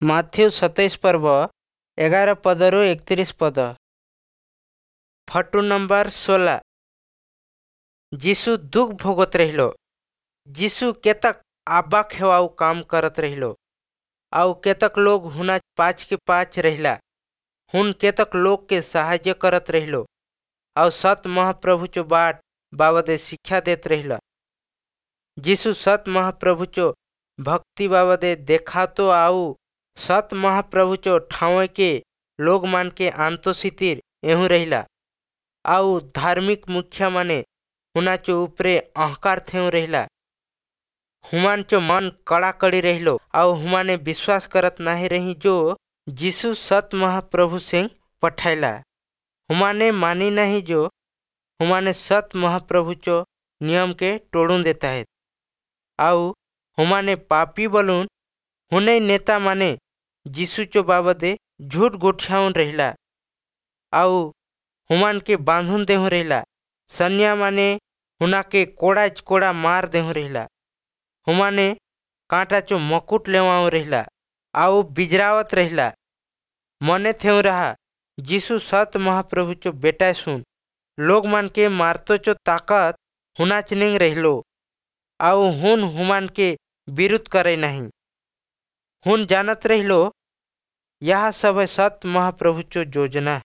Matthew 27 ପର୍ବ, 11 ପଦରୁ 31 ପଦ। Photo number 16। ଯୀଶୁ ଦୁଃଖ ଭୋଗत रहिलो। ଯୀଶୁ केतक आबाक हेवाऊ काम करत रहिलो आउ केतक लोग हुना पाछ के पाछ रहिला। हुन केतक लोग के सहाय्य करत रहिलो आउ सत महाप्रभु चो बाट बाबदे शिक्षा देत रहिला। यीशु सत महाप्रभु चो भक्ति बाबदे देखातो आउ सत महाप्रभु चो ठाव के लोग मान के आंतोसितिर एहू रहिला आउ धार्मिक मुखिया माने हुना चो उपरे अहंकार थेउ रहिला। हुमान चो मन कड़ाकड़ी रहिलो आउ हुमाने विश्वास करत नाही रही जो यीशु सत महाप्रभु सिंह पठाइला। हुमाने मानी नहीं जो हुमाने सत महाप्रभु चो नियम के तोड़ून देता है आउ हुमाने पापी बलून हुने नेता माने यीशु चो बाबदे झूठ गोठियाउन रहिला आउ हुमान के बांधुन देहु रहिला। सन्या माने हुना के कोड़ा कोड़ा मार देहु रहिला। हुमाने कांटा चो मकुट लेवाऊ रहिला आउ बिजरावत रहिला। मने थेउ रहा यीशु सत महाप्रभु चो बेटा सुन लोग मान के मारतो चो ताकत हुनाच निंग रहिलो आउ हुन हुमान के विरुद्ध करे नहीं। हुन जानत रहिलो यह सब है सत महाप्रभु चो योजना।